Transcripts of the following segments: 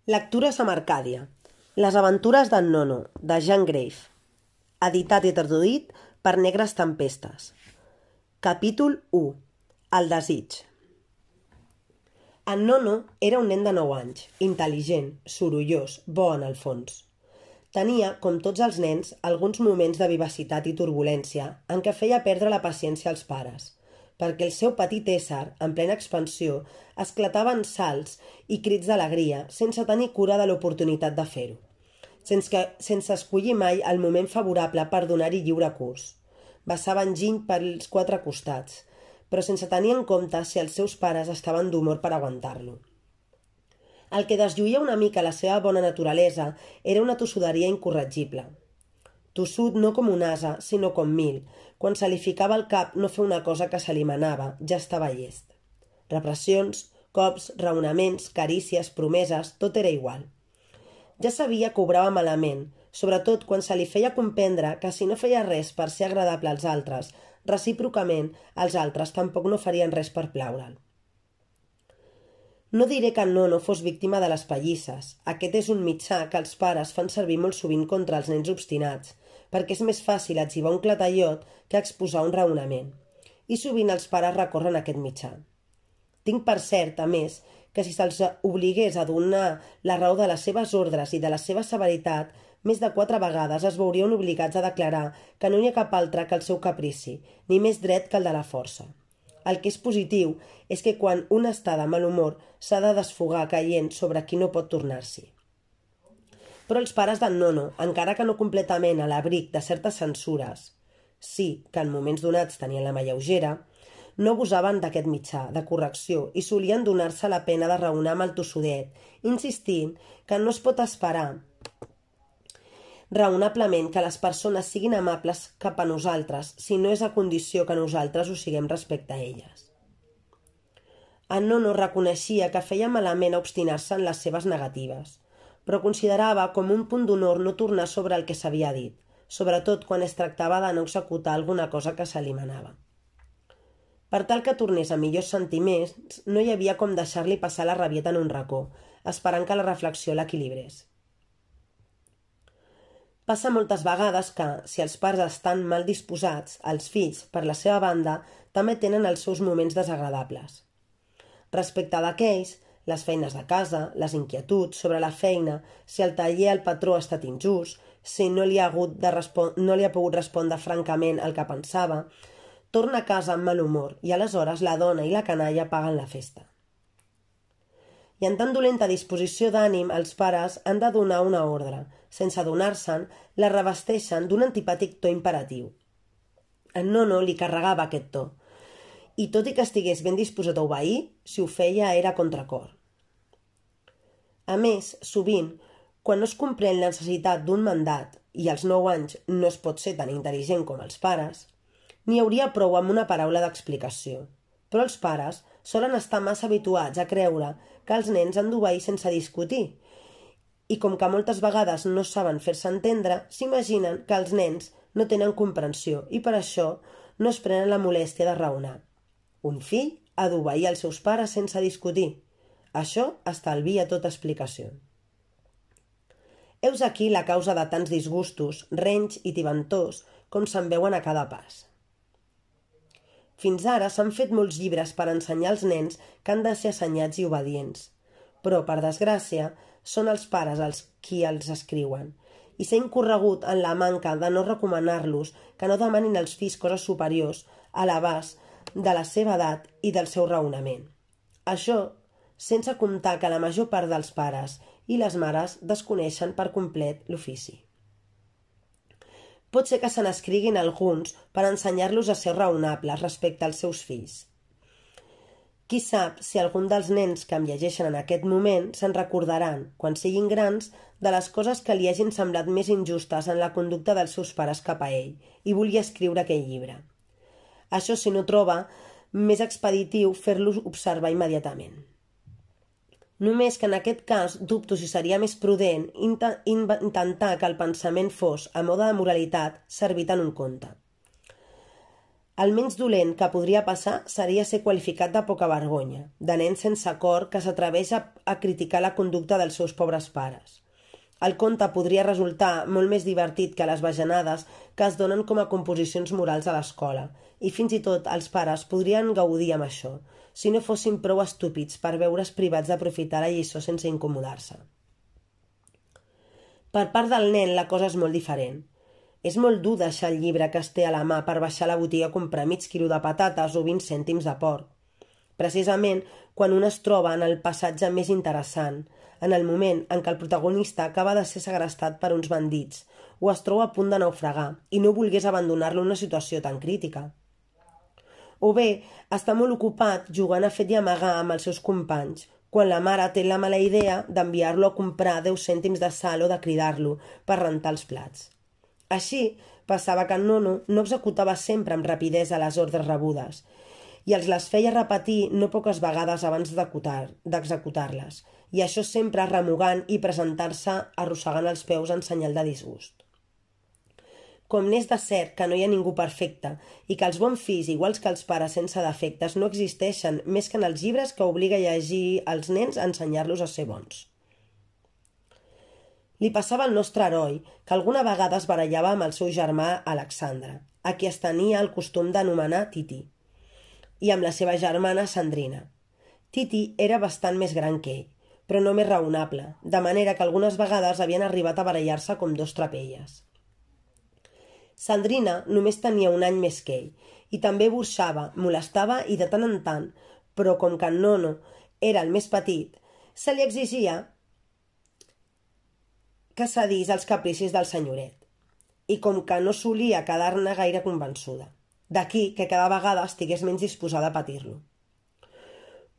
Lectures amb Arcàdia. Les aventures d'en Nono, de Jean Grave. Editat i traduït per Negres Tempestes. Capítol 1. El desig. En Nono era un nen de 9 anys, intel·ligent, sorollós, bo en el fons. Tenia, com tots els nens, alguns moments de vivacitat i turbulència en què feia perdre la paciència als pares, perquè el seu petit ésser, en plena expansió, esclatava en salts i crits d'alegria sense tenir cura de l'oportunitat de fer-ho, sense escollir mai el moment favorable per donar-hi lliure curs. Vessava enginy pels 4 costats, però sense tenir en compte si els seus pares estaven d'humor per aguantar-lo. El que deslluïa una mica la seva bona naturalesa era una tossuderia incorregible. Tossut no com un ase, sinó com 1000. Quan se li ficava al cap no fer una cosa que se li manava, ja estava llest. Repressions, cops, raonaments, carícies, promeses, tot era igual. Ja sabia que obrava malament, sobretot quan se li feia comprendre que si no feia res per ser agradable als altres, recíprocament, els altres tampoc no farien res per plaure'l. No diré que en Nono fos víctima de les pallisses. Aquest és un mitjà que els pares fan servir molt sovint contra els nens obstinats, perquè és més fàcil etzibar un clatallot que exposar un raonament. I sovint els pares recorren a aquest mitjà. Tinc per cert, a més, que si se'ls obligués a donar la raó de les seves ordres i de la seva severitat, més de 4 vegades es veurien obligats a declarar que no hi ha cap altre que el seu caprici, ni més dret que el de la força. El que és positiu és que quan un està de mal humor s'ha de desfogar caient sobre qui no pot tornar-s'hi. Però els pares d'en Nono, encara que no completament a l'abric de certes censures, sí que en moments donats tenien la mà lleugera, no abusaven d'aquest mitjà de correcció i solien donar-se la pena de raonar amb el tossudet, insistint que no es pot esperar raonablement que les persones siguin amables cap a nosaltres si no és a condició que nosaltres ho siguem respecte a elles. En Nono reconeixia que feia malament a obstinar-se en les seves negatives, però considerava com un punt d'honor no tornar sobre el que s'havia dit, sobretot quan es tractava de no executar alguna cosa que se li manava. Per tal que tornés a millors sentiments, no hi havia com deixar-li passar la rabieta en un racó, esperant que la reflexió l'equilibrés. Passa moltes vegades que, si els pares estan mal disposats, els fills, per la seva banda, també tenen els seus moments desagradables. Respecte d'aquells, les feines de casa, les inquietuds sobre la feina, si el taller al patró ha estat injust, si no li ha pogut respondre francament el que pensava, torna a casa amb mal humor i aleshores la dona i la canalla paguen la festa. I en tan dolenta disposició d'ànim, els pares han de donar una ordre. Sense adonar-se'n, la revesteixen d'un antipàtic to imperatiu. En Nono li carregava aquest to, i tot i que estigués ben disposat a obeir, si ho feia era a contracor. A més, sovint, quan no es comprèn la necessitat d'un mandat, i als 9 anys no es pot ser tan intel·ligent com els pares, n'hi hauria prou amb una paraula d'explicació. Però els pares solen estar massa habituats a creure que els nens han d'obeir sense discutir, i com que moltes vegades no saben fer-se entendre, s'imaginen que els nens no tenen comprensió i per això no es prenen la molèstia de raonar. Un fill ha d'obeir els seus pares sense discutir. Això estalvia tota explicació. Heus aquí la causa de tants disgustos, renys i tibantors com se'n veuen a cada pas. Fins ara s'han fet molts llibres per ensenyar als nens que han de ser assenyats i obedients, però, per desgràcia, són els pares els qui els escriuen, i s'ha incorregut en la manca de no recomanar-los que no demanin als fills coses superiors a l'abast de la seva edat i del seu raonament. Això sense comptar que la major part dels pares i les mares desconeixen per complet l'ofici. Pot ser que se n'escriguin alguns per ensenyar-los a ser raonables respecte als seus fills. Qui sap si algun dels nens que em llegeixen en aquest moment se'n recordaran, quan siguin grans, de les coses que li hagin semblat més injustes en la conducta dels seus pares cap a ell i volia escriure aquell llibre. Això, si no troba, més expeditiu fer-los observar immediatament. Només que en aquest cas dubto si seria més prudent intentar que el pensament fos, a mode de moralitat, servit en un conte. El menys dolent que podria passar seria ser qualificat de poca vergonya, de nen sense cor que s'atreveix a criticar la conducta dels seus pobres pares. El conte podria resultar molt més divertit que les bajanades que es donen com a composicions morals a l'escola, i fins i tot els pares podrien gaudir amb això, si no fossin prou estúpids per veure's privats d'aprofitar la lliçó sense incomodar-se. Per part del nen la cosa és molt diferent. És molt dur deixar el llibre que es té a la mà per baixar a la botiga a comprar mig quilo de patates o 20 cèntims de porc. Precisament quan un es troba en el passatge més interessant, en el moment en què el protagonista acaba de ser segrestat per uns bandits o es troba a punt de naufragar i no volgués abandonar-lo en una situació tan crítica. O bé, està molt ocupat jugant a fet i amagar amb els seus companys, quan la mare té la mala idea d'enviar-lo a comprar 10 cèntims de sal o de cridar-lo per rentar els plats. Així, passava que en Nono no executava sempre amb rapidesa les ordres rebudes i els les feia repetir no poques vegades abans d'executar-les, i això sempre remugant i presentar-se arrossegant els peus en senyal de disgust. Com n'és de cert que no hi ha ningú perfecte i que els bons fills, iguals que els pares sense defectes, no existeixen més que en els llibres que obliga a llegir als nens a ensenyar-los a ser bons. Li passava al nostre heroi que alguna vegada es barallava amb el seu germà Alexandre, a qui es tenia el costum d'anomenar Titi, i amb la seva germana Sandrina. Titi era bastant més gran que ell, però no més raonable, de manera que algunes vegades havien arribat a barallar-se com dos trapelles. Sandrina només tenia un any més que ell, i també burxava, molestava i de tant en tant, però com que en Nono era el més petit, se li exigia que cedís als capricis del senyoret, i com que no solia quedar-ne gaire convençuda. D'aquí que cada vegada estigués menys disposada a patir-lo.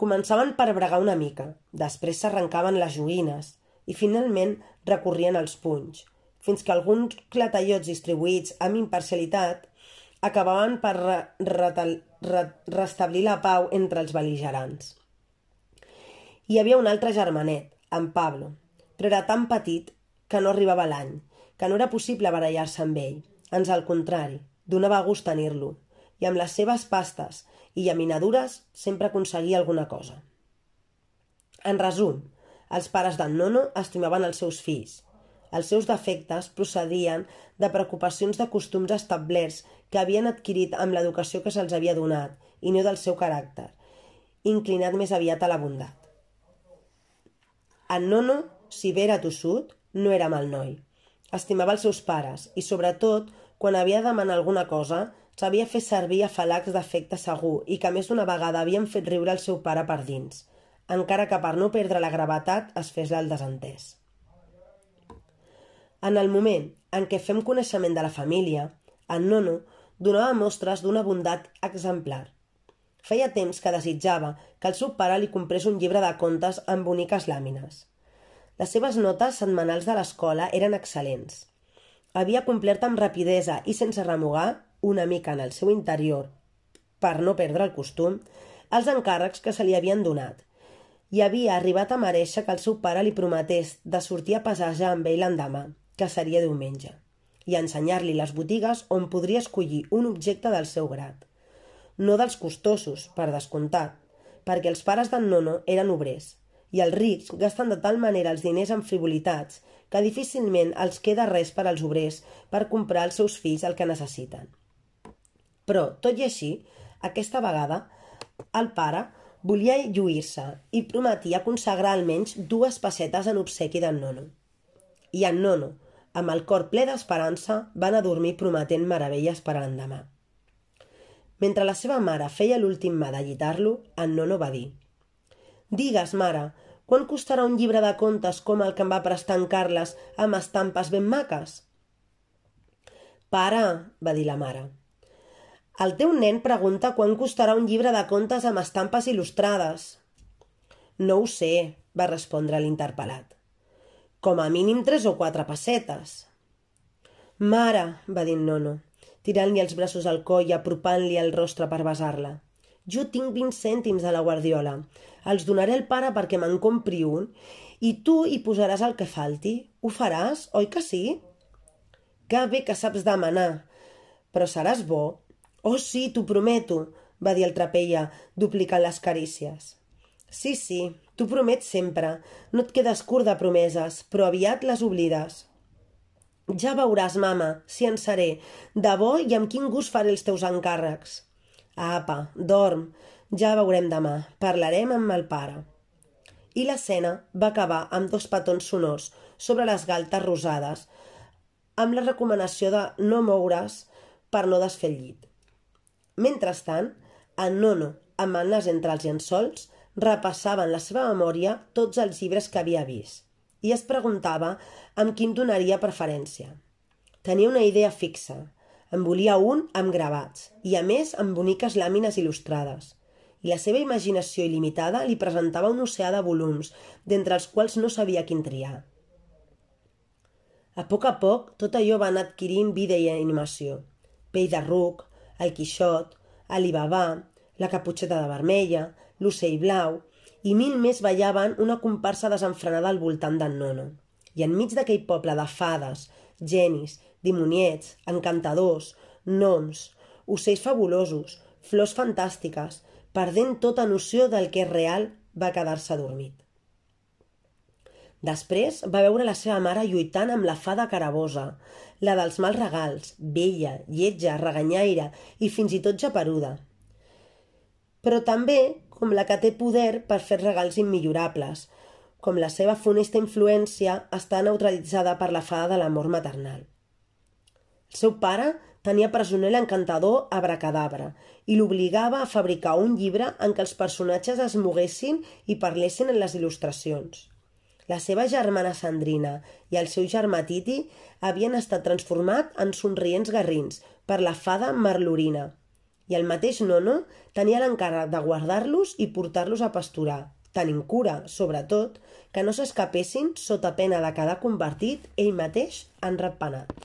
Començaven per bregar una mica, després s'arrencaven les joguines i finalment recorrien als punys, fins que alguns clatellots distribuïts amb imparcialitat acabaven per restablir la pau entre els bel·ligerants. Hi havia un altre germanet, en Pablo, però era tan petit que no arribava l'any, que no era possible barallar-se amb ell. Ans al contrari, donava gust tenir-lo, i amb les seves pastes i llaminadures sempre aconseguia alguna cosa. En resum, els pares d'en Nono estimaven els seus fills. Els seus defectes procedien de preocupacions de costums establerts que havien adquirit amb l'educació que se'ls havia donat, i no del seu caràcter, inclinat més aviat a la bondat. En Nono, si bé era tossut, no era mal noi. Estimava els seus pares i, sobretot, quan havia de demanar alguna cosa, sabia fer servir afalacs d'afecte segur i que més d'una vegada havien fet riure el seu pare per dins, encara que per no perdre la gravetat es fes el desentès. En el moment en què fem coneixement de la família, en Nono donava mostres d'una bondat exemplar. Feia temps que desitjava que el seu pare li comprés un llibre de contes amb boniques làmines. Les seves notes setmanals de l'escola eren excel·lents. Havia complert amb rapidesa i sense remugar, una mica en el seu interior, per no perdre el costum, els encàrrecs que se li havien donat, i havia arribat a mereixer que el seu pare li prometés de sortir a passejar amb ell l'endemà, que seria diumenge, i ensenyar-li les botigues on podria escollir un objecte del seu grat. No dels costosos, per descomptat, perquè els pares d'en Nono eren obrers, i els rics gasten de tal manera els diners en frivolitats que difícilment els queda res per als obrers per comprar als seus fills el que necessiten. Però, tot i així, aquesta vegada, el pare volia lluir-se i prometia consagrar almenys 2 pessetes en obsequi d'en Nono. I en Nono, amb el cor ple d'esperança, va anar a dormir prometent meravelles per a l'endemà. Mentre la seva mare feia l'últim mà de llitar-lo, en Nono va dir: «Digues, mare, quan costarà un llibre de contes com el que em va prestar en Carles amb estampes ben maques?» «Pare», va dir la mare, «el teu nen pregunta quan costarà un llibre de contes amb estampes il·lustrades». «No ho sé», va respondre l'interpel·lat. «Com a mínim 3 o 4 pessetes». «Mare», va dir en Nono, tirant-li els braços al coll i apropant-li el rostre per besar-la, «jo tinc 20 cèntims a la guardiola. Els donaré al pare perquè me'n compri un i tu hi posaràs el que falti. Ho faràs, oi que sí?» «Que bé que saps demanar. Però seràs bo? «Oh, sí, t'ho prometo», va dir el Trapella, duplicant les carícies. «Sí, t'ho promet sempre. No et quedes curt de promeses, però aviat les oblides». «Ja veuràs, mama, si en seré. De bo i amb quin gust faré els teus encàrrecs». «Apa, dorm. Ja veurem demà. Parlarem amb el pare». I l'escena va acabar amb 2 petons sonors sobre les galtes rosades, amb la recomanació de no moure's per no desfer el llit. Mentrestant, en Nono, amb el nas entre els llençols, repassava en la seva memòria tots els llibres que havia vist i es preguntava amb quin donaria preferència. Tenia una idea fixa. En volia un amb gravats i, a més, amb boniques làmines il·lustrades. I la seva imaginació il·limitada li presentava un oceà de volums, d'entre els quals no sabia quin triar. A poc, tot allò va anar adquirint vida i animació. Pell de ruc, el Quixot, Alibabà, la Caputxeta de Vermella, l'Ocell Blau, i 1000 més ballaven una comparsa desenfrenada al voltant d'en Nono. I enmig d'aquell poble de fades, genis, dimoniets, encantadors, gnoms, ocells fabulosos, flors fantàstiques, perdent tota noció del que és real, va quedar-se adormit. Després va veure la seva mare lluitant amb la fada carabosa, la dels mals regals, vella, lletja, reganyaire i fins i tot japeruda. Però també com la que té poder per fer regals immillorables, com la seva funesta influència està neutralitzada per la fada de l'amor maternal. El seu pare tenia presoner l'encantador Abracadabra i l'obligava a fabricar un llibre en què els personatges es moguessin i parlessin en les il·lustracions. La seva germana Sandrina i el seu germà Titi havien estat transformats en somrients garrins per la fada Marlorina, i el mateix Nono tenia l'encàrrec de guardar-los i portar-los a pasturar, tenint cura, sobretot, que no s'escapessin sota pena de quedar convertit ell mateix en ratpenat.